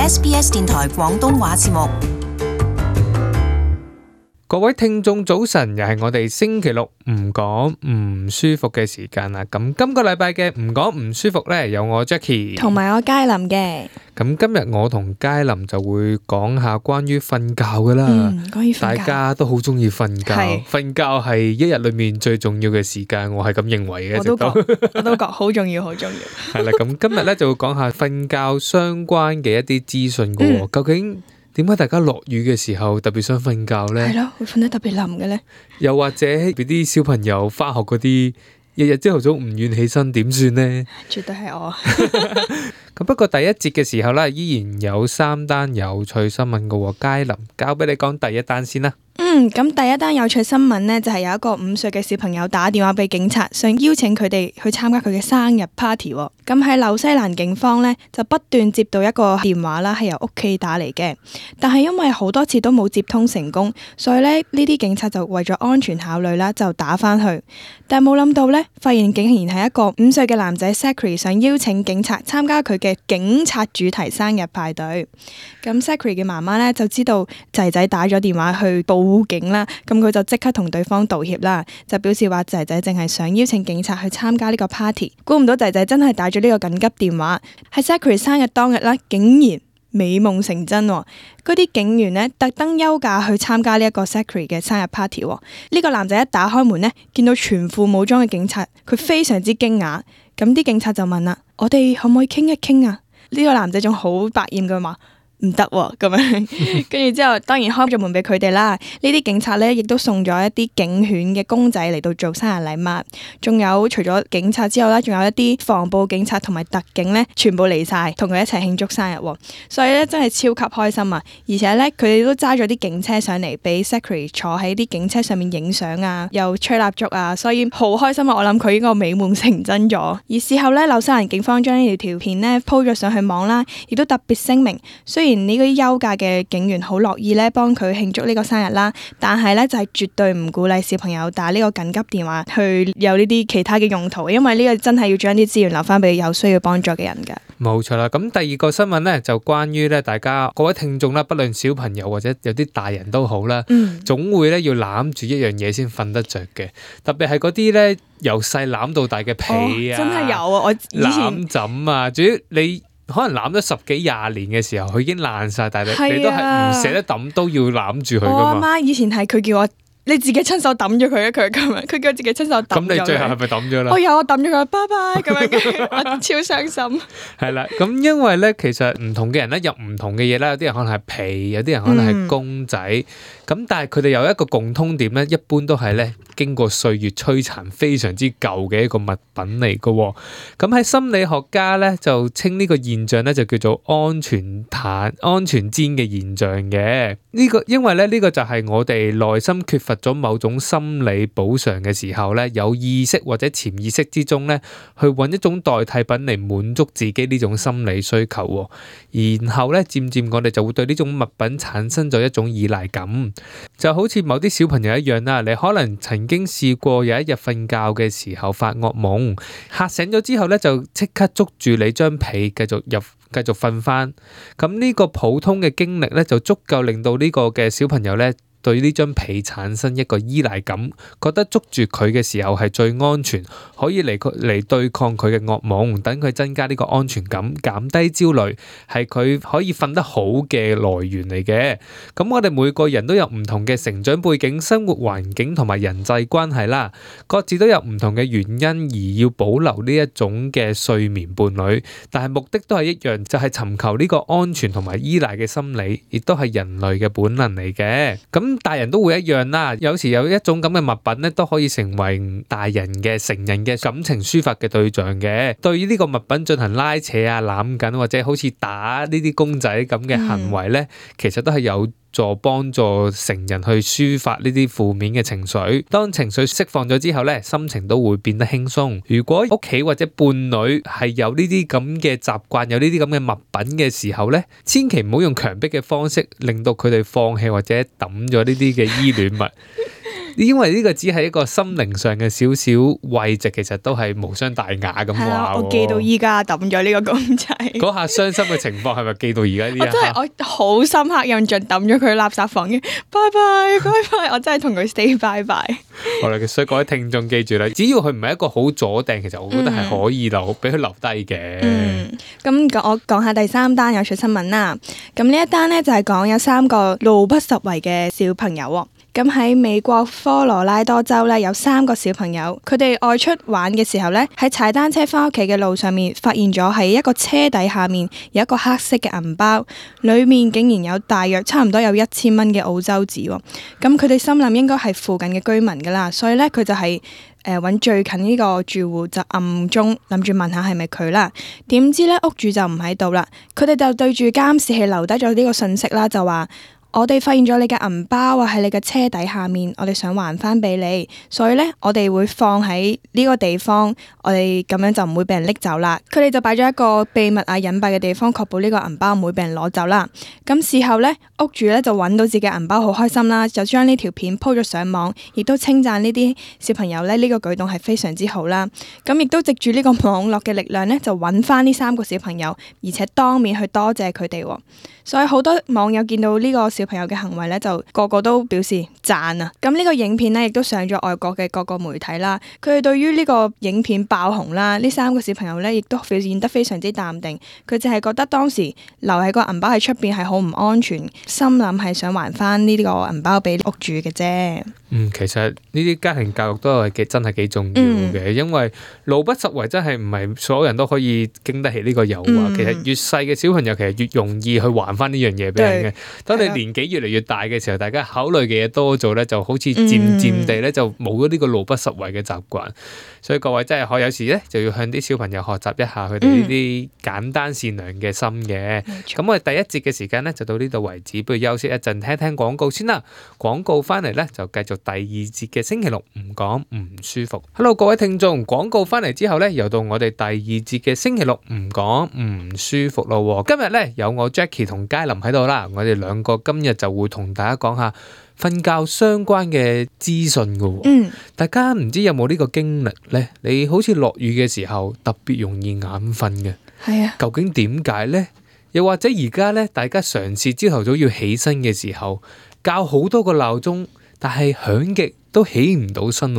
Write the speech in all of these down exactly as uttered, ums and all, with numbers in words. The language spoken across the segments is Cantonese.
S B S 電台廣東話節目。各位聽眾早晨，又係我哋星期六唔講唔舒服嘅時間啦。咁今個禮拜嘅唔講唔舒服呢，有我 Jackie 同埋我佳琳嘅。咁今日我同佳琳就會講下關於瞓覺噶啦。嗯，關於瞓覺，大家都好中意瞓覺，係瞓覺係一日裏面最重要嘅時間，我係咁認為嘅。我都直到覺，我都覺好重要，好重要。係啦，咁今日呢就會講下瞓覺相關嘅一啲資訊噶喎。嗯究竟點解大家落雨嘅時候特別想瞓覺呢？係咯，會瞓得特別冧嘅咧。又或者俾啲小朋友翻學嗰啲，日日朝頭早唔願起身，點算呢？絕對係我。咁不過第一節嘅時候咧，依然有三單有趣新聞噶喎。佳琳，交俾你講第一單先啦。嗯，咁第一單有趣新聞呢，就係有一個五歲嘅小朋友打電話俾警察，想邀請佢哋去參加佢嘅生日 party。咁喺紐西蘭警方呢，就不斷接到一個電話啦，係由屋企打嚟嘅，但係因為好多次都冇接通成功，所以呢呢啲警察就為咗安全考慮啦，就打翻去。但係冇諗到呢，發現竟然係一個五歲嘅男仔 Zachary 想邀請警察參加佢嘅警察主題生日派對。咁 Zachary 嘅媽媽呢，就知道仔仔打咗電話去報警啦，咁佢就即刻同對方道歉啦，就表示話仔仔淨係想邀請警察去參加呢個 party， 估唔到仔仔真係打咗呢個緊急電話，喺 Zachary 生日當日啦，竟然美夢成真喎！嗰啲警員呢，特登休假去參加呢一個 Zachary 嘅生日 party。呢個男仔一打開門呢，見到全副武裝嘅警察，佢非常之驚訝。咁啲警察就問啦：我哋可唔可以傾一傾啊？呢個男仔仲好百厭嘅話。唔得喎，咁樣，跟住之後當然開咗門俾佢哋啦。呢啲警察呢，亦都送咗一啲警犬嘅公仔嚟到做生日禮物，仲有除咗警察之後呢，仲有一啲防暴警察同埋特警呢，全部嚟晒同佢一齊慶祝生日喎。所以呢，真係超級開心啊！而且呢，佢哋都揸咗啲警車上嚟俾 Zachary 坐喺啲警車上面影相啊，又吹蠟燭啊，所以好開心啊！我諗佢應該美夢成真咗。而事後呢，紐西蘭警方將呢條條片呢 po 咗上去網啦，亦都特別聲明，雖然呢啲休假嘅警員好樂意咧幫佢慶祝呢個生日啦，但係咧就係絕對唔鼓勵小朋友打呢個緊急電話去有呢啲其他嘅用途，因為呢個真係要將啲資源留翻俾有需要幫助嘅人噶。冇錯啦，咁第二個新聞咧就關於咧大家各位聽眾啦，不論小朋友或者有啲大人都好啦，嗯，總會咧要攬住一樣嘢先瞓得着嘅，特別係嗰啲咧由細攬到大嘅被啊，哦，真係有啊！我以前攬枕啊，主要你。可能攬咗十幾廿年嘅時候，佢已經爛晒，但係你，啊、你都係唔捨得抌，都要攬住佢噶嘛。我阿媽以前係佢叫我你自己親手抌咗佢啊，佢咁樣，佢叫我自己親手抌咗。咁你最後係咪抌咗啦？我有，我抌咗佢，拜拜咁樣，我超傷心。係啦，咁因為咧，其實唔同嘅人咧有唔同嘅嘢啦，有啲人可能係被，有啲人可能係公仔。嗯咁但係佢哋有一個共通點咧，一般都係咧經過歲月摧殘非常之舊嘅一個物品嚟嘅。咁喺心理學家咧就稱呢個現象咧就叫做安全毯、安全氈嘅現象嘅。呢個因為咧呢個就係我哋內心缺乏咗某種心理補償嘅時候咧，有意識或者潛意識之中咧去揾一種代替品嚟滿足自己呢種心理需求。然後咧漸漸我哋就會對呢種物品產生咗一種依賴感。就好似某啲小朋友一樣啦，你可能曾經試過有一日瞓覺嘅時候發噩夢，嚇醒咗之後咧就即刻捉住你張被繼續入繼續瞓翻。咁呢個普通嘅經歷咧就足夠令到呢個嘅小朋友咧對呢張被產生一個依賴感，覺得捉住佢嘅時候係最安全，可以嚟嚟對抗佢嘅噩夢，等佢增加呢個安全感，減低焦慮，係佢可以瞓得好嘅來源嚟嘅。咁我哋每個人都有唔同嘅成長背景、生活環境同埋人際關係啦，各自都有唔同嘅原因而要保留呢一種嘅睡眠伴侶，但係目的都係一樣，就係尋求呢個安全同埋依賴嘅心理，亦都係人類嘅本能嚟嘅。咁大人都會一樣啦，有時有一種咁嘅物品咧，都可以成為大人嘅成人嘅感情抒發嘅對象嘅。對於呢個物品進行拉扯啊、攬緊或者好似打呢啲公仔咁嘅行為咧，嗯、其實都係有助幫助成人去抒發呢啲負面嘅情緒。當情緒釋放咗之後咧，心情都會變得輕鬆。如果屋企或者伴侶係有呢啲咁嘅習慣，有呢啲咁嘅物品嘅時候咧，千祈唔好用強迫嘅方式令到佢哋放棄或者抌咗呢啲嘅依戀物。因為呢個只係一個心靈上嘅少少慰藉，其實都係無傷大雅咁話。係啊，我記到依家抌咗呢個公仔。嗰下傷心嘅情況係咪記到而家呢一刻？我真係我好深刻印象，抌咗佢垃圾房嘅，拜拜拜拜，我真係同佢 say 拜拜。好啦，所以各位聽眾記住啦，只要佢唔係一個好阻掟，其實我覺得係可以留俾佢、嗯、留低嘅。嗯，咁我講下第三單有趣新聞啦。咁呢一單呢，就係講有三個路不拾遺嘅小朋友喎。咁喺美國科羅拉多州咧，有三個小朋友，佢哋外出玩嘅時候咧，喺踩單車翻屋企嘅路上面，發現咗喺一個車底下面有一個黑色嘅銀包，裡面竟然有大約差唔多有一千蚊嘅澳洲紙喎。咁佢哋心諗應該係附近嘅居民噶啦，所以咧佢就係誒揾最近呢個住戶就暗中諗住問下係咪佢啦。點知咧屋主就唔喺度啦，佢哋就對住監視器留低咗呢個信息啦，就話：我哋發現咗你嘅銀包啊，喺你嘅車底下面，我哋想還翻俾你，所以呢，我哋會放喺呢個地方，我哋咁樣就唔會俾人拎走啦。佢哋就擺咗一個秘密啊隱蔽嘅地方，確保呢個銀包唔會俾人攞走啦。咁事後呢，屋主呢就揾到自己銀包，好開心啦，就將呢條片 po 咗上網，亦都稱讚呢啲小朋友呢，呢個舉動係非常之好啦。咁亦都藉住呢個網絡嘅力量呢，就揾翻呢三個小朋友，而且當面去多謝佢哋。所以好多網友見到呢個小朋友嘅行為咧，就個個都表示讚啊！咁呢個影片咧，亦都上咗外國嘅各個媒體啦。佢哋對於呢個影片爆紅啦，呢三個小朋友咧，亦都表現得非常之淡定。佢淨係覺得當時留喺個銀包喺出邊係好唔安全，心諗係想還翻呢個銀包俾屋主嘅啫。嗯，其實呢啲家庭教育都係幾真係幾重要嘅，嗯、因為路不拾遺真係唔係所有人都可以經得起呢個誘惑。嗯、其實越細嘅小朋友其實越容易去還翻呢樣嘢俾人嘅。當你年紀越嚟越大嘅時候，大家考慮嘅嘢多咗咧，就好似漸漸地咧就冇咗呢個路不拾遺嘅習慣。所以各位真係可有時咧就要向啲小朋友學習一下佢哋呢啲簡單善良嘅心嘅。咁、嗯、我哋第一節嘅時間咧就到呢度為止，不如休息一陣，聽聽廣告先啦。廣告翻嚟咧就繼續第二節嘅星期六唔講唔舒服。Hello 各位聽眾，廣告翻嚟之後咧，又到我哋第二節嘅星期六唔講唔舒服咯。今日咧有我 Jackie 同佳琳喺度啦，我哋兩個今日就會同大家講下瞓覺相關嘅資訊噶。嗯，大家唔知有冇呢個經歷咧？你好似落雨嘅時候特別容易眼瞓嘅，係啊，究竟點解咧？又或者而家咧，大家嘗試朝頭早要起身嘅時候，校好多個鬧鐘，但係響極都起唔到身，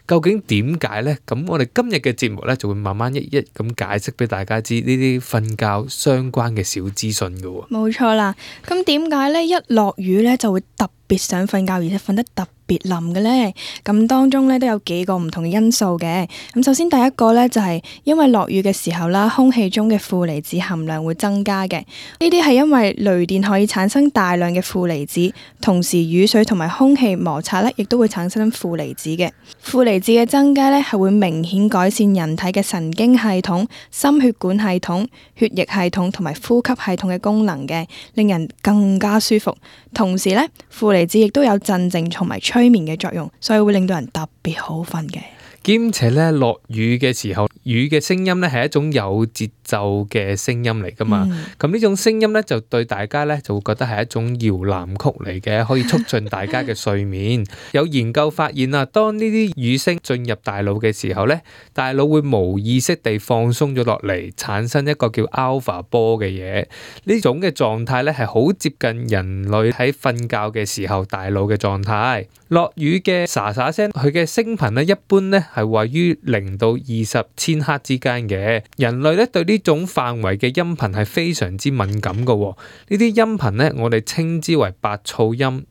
究竟點解呢？咁我哋今日嘅節目呢，就會慢慢一一咁解釋俾大家知呢啲瞓覺相關嘅小資訊㗎喎。冇錯啦，咁點解呢？一落雨呢，就會特別想瞓覺，而且瞓得特別冧嘅呢？咁當中呢，都有幾個唔同嘅因素嘅。咁首先第一個呢，就係因為落雨嘅時候啦，空氣中嘅負離子含量會增加嘅。呢啲係因為雷電可以產生大量嘅負離子，同時雨水同埋空氣摩擦呢，亦都會產生負離子嘅。負離子嘅增加呢，係會明顯改善人體嘅神經系統、心血管系統、血液系統同埋呼吸系統嘅功能嘅，令人更加舒服。同時呢，負離子亦都有鎮靜同埋催眠嘅作用，所以會令到人特別好瞓嘅。兼且咧落雨嘅時候，雨嘅聲音咧係一種有節奏嘅聲音嚟噶嘛。咁呢、嗯、種聲音咧就對大家咧就會覺得係一種搖籃曲嚟嘅，可以促進大家嘅睡眠。有研究發現啊，當呢啲雨聲進入大腦嘅時候咧，大腦會無意識地放鬆咗落嚟，產生一個叫 alpha 波嘅嘢。呢種嘅狀態咧係好接近人類喺瞓覺嘅時候大腦嘅狀態。落雨嘅沙沙聲，佢嘅聲頻咧一般咧係位於零到二十千赫之間嘅。人類咧對呢種範圍嘅音頻係非常之敏感嘅。呢啲音頻咧我哋稱之為白噪音。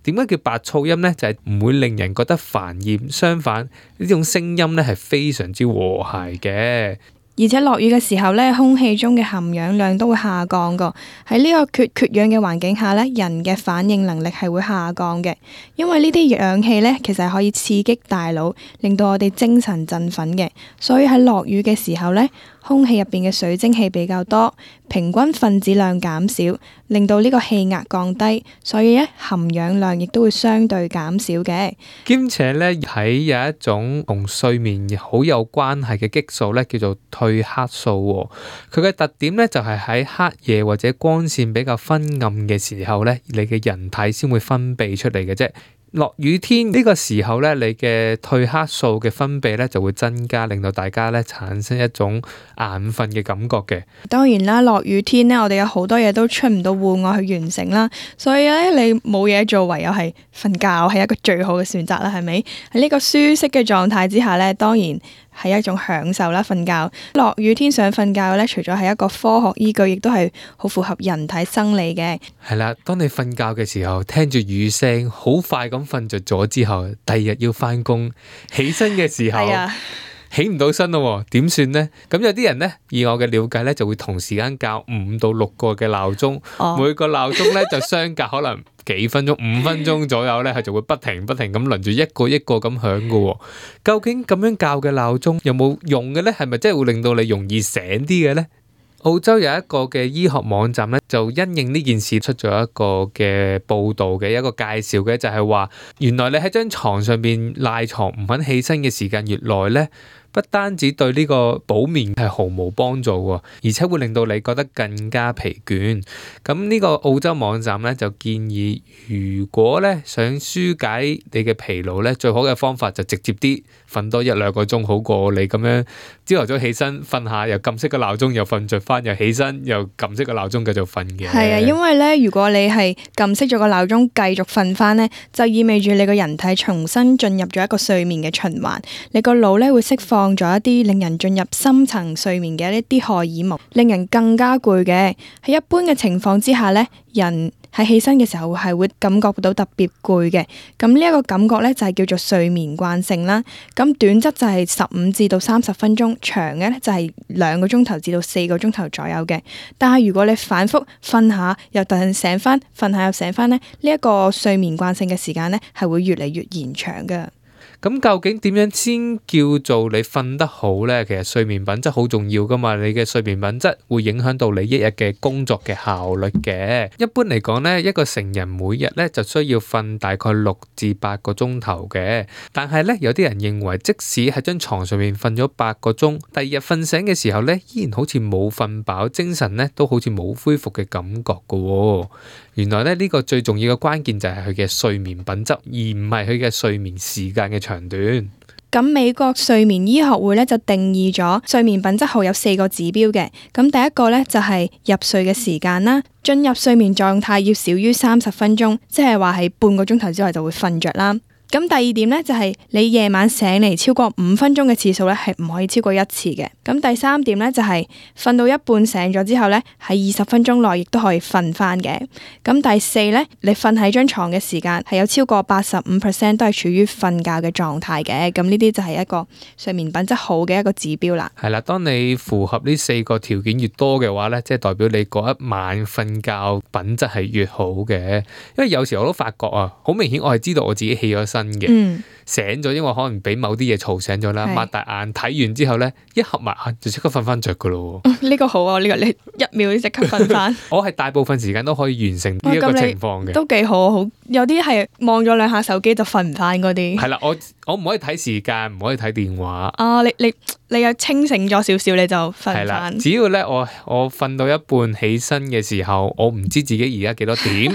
點解叫白噪音呢？就係唔會令人覺得煩厭，相反呢種聲音咧係非常之和諧嘅。而且落雨嘅時候咧，空氣中嘅含氧量都會下降噶。喺呢個缺缺氧嘅環境下咧，人嘅反應能力係會下降嘅。因為呢啲氧氣咧，其實係可以刺激大腦，令到我哋精神振奮嘅。所以喺落雨嘅時候咧，空氣入邊嘅水蒸氣比較多，平均分子量減少，令到呢個氣壓降低，所以咧含氧量亦都會相對減少嘅。兼且咧喺有一種同睡眠好有關係嘅激素咧，叫做褪黑素。佢嘅特點咧就係喺黑夜或者光線比較昏暗嘅時候咧，你嘅人體先會分泌出嚟嘅啫。落雨天呢個時候咧，你嘅褪黑素嘅分泌咧就會增加，令到大家咧產生一種眼瞓嘅感覺嘅。當然啦，落雨天咧，我哋有好多嘢都出唔到戶外去完成啦，所以咧你冇嘢做，唯有係瞓覺係一個最好嘅選擇啦，係咪？喺呢個舒適嘅狀態之下咧，當然係一種享受啦。瞓覺落雨天想瞓覺咧，除咗係一個科學依據，亦都係好符合人體生理嘅。係啦，當你瞓覺嘅時候，聽住雨聲，好快咁瞓着咗之後，第二日要翻工，起身嘅時候，哎、起唔到身咯，點算呢？咁有啲人呢，以我嘅了解呢，就會同時間校五到六個嘅鬧鐘，哦、每個鬧鐘呢，就相隔可能幾分鐘、五分鐘左右呢，係就會不停不停咁輪住一個一個咁響㗎。究竟咁樣校嘅鬧鐘有冇用嘅呢？係咪真係會令到你容易醒啲嘅呢？澳洲有一個嘅醫學網站咧，就因應呢件事出咗一個嘅報道嘅一個介紹嘅，就係話原來你喺張床上邊賴床唔肯起身嘅時間越耐咧，不單止對呢個補眠係毫無幫助喎，而且會令到你覺得更加疲倦。咁呢個澳洲網站咧就建議，如果咧想紓解你嘅疲勞咧，最好嘅方法就直接啲瞓多一兩個鐘，好過你咁樣朝頭早起身瞓下，又撳熄個鬧鐘，又瞓着翻，又起身又撳熄個鬧鐘繼續瞓嘅。係啊，因為咧，如果你係撳熄咗個鬧鐘繼續瞓翻咧，就意味住你個人體重新進入咗一個睡眠嘅循環，你個腦咧會釋放咗一啲令人進入深層睡眠嘅一啲荷爾蒙，令人更加攰嘅。喺一般嘅情況之下咧，人喺起身嘅時候係會感覺到特別攰嘅。咁呢一個感覺咧就係叫做睡眠慣性啦。咁短則就係十五至到三十分鐘，長嘅咧就係兩個鐘頭至到四個鐘頭左右嘅。但係如果你反覆瞓下又突然醒翻，瞓下又醒翻咧，呢一個睡眠慣性嘅時間咧係會越嚟越延長㗎。咁究竟點樣先叫做你瞓得好呢？其實睡眠品質好重要噶嘛，你嘅睡眠品質會影響到你一日嘅工作嘅效率嘅。一般嚟講呢，一個成人每日呢就需要瞓大概六至八個鐘頭嘅。但係呢，有啲人認為，即使喺張床上面瞓咗八個鐘，第二日瞓醒嘅時候呢，依然好似冇瞓飽，精神呢都好似冇恢復嘅感覺噶喎。原來呢，呢個最重要嘅關鍵就係佢嘅睡眠品質，而唔係佢嘅睡眠時間嘅長短。咁美國睡眠醫學會咧就定義咗睡眠品質後有四個指標嘅。咁第一個咧就係入睡嘅時間啦，進入睡眠狀態要少於三十分鐘，即係話係半個鐘頭之內就會瞓着啦。咁第二點咧就係你夜晚醒嚟超過五分鐘嘅次數咧係唔可以超過一次嘅。咁第三點咧就係瞓到一半醒咗之後咧喺二十分鐘內亦都可以瞓翻嘅。咁第四咧你瞓喺張床嘅時間係有超過八十五 percent 都係處於瞓覺嘅狀態嘅。咁呢啲就係一個睡眠品質好嘅一個指標啦。係啦，當你符合呢四個條件越多嘅話咧，即係代表你嗰一晚瞓覺品質係越好嘅。因為有時我都發覺啊，好明顯我係知道我自己起咗身嘅，嗯、醒咗，因為可能俾某啲嘢嘈醒咗啦，擘大眼睇完之後咧，一合埋眼就即刻瞓翻着噶咯。呢、嗯這個好啊，呢、這個你一秒即刻瞓翻。我係大部分時間都可以完成呢一個情況嘅，都幾好。好有啲係望咗兩下手機就瞓唔翻嗰啲。係啦，我我唔可以睇時間，唔可以睇電話。啊，你你你又清醒咗少少，你就瞓翻。只要咧我我瞓到一半起身嘅時候，我唔知自己而家幾多點，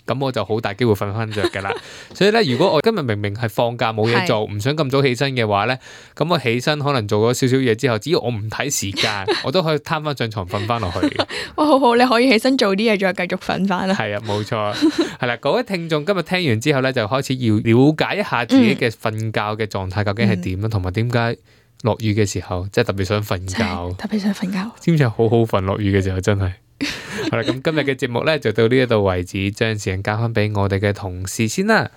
咁我就好大機會瞓翻着噶啦。所以咧，如果我今日明明係放假冇嘢做，唔想咁早起身嘅話咧，咁我起身可能做咗少少嘢之後，只要我唔睇時間，我都可以攤翻上床瞓翻落去。哇，好好，你可以起身做啲嘢，再繼續瞓翻啦。係啊，冇錯。係啦，各位聽眾今日聽完之後咧，就開始要了解一下自己嘅瞓覺嘅狀態究竟係點啦，同埋點解落雨嘅時候即係特別想瞓覺，特別想瞓覺，知唔知好好瞓？落雨嘅時候真係。好啦，咁今日嘅節目咧就到呢一度為止，將時間交翻俾我哋嘅同事先啦。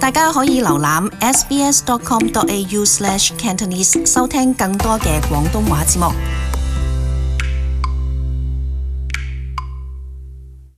大家可以瀏覽 s b s dot com dot a u slash cantonese 收聽更多嘅廣東話節目。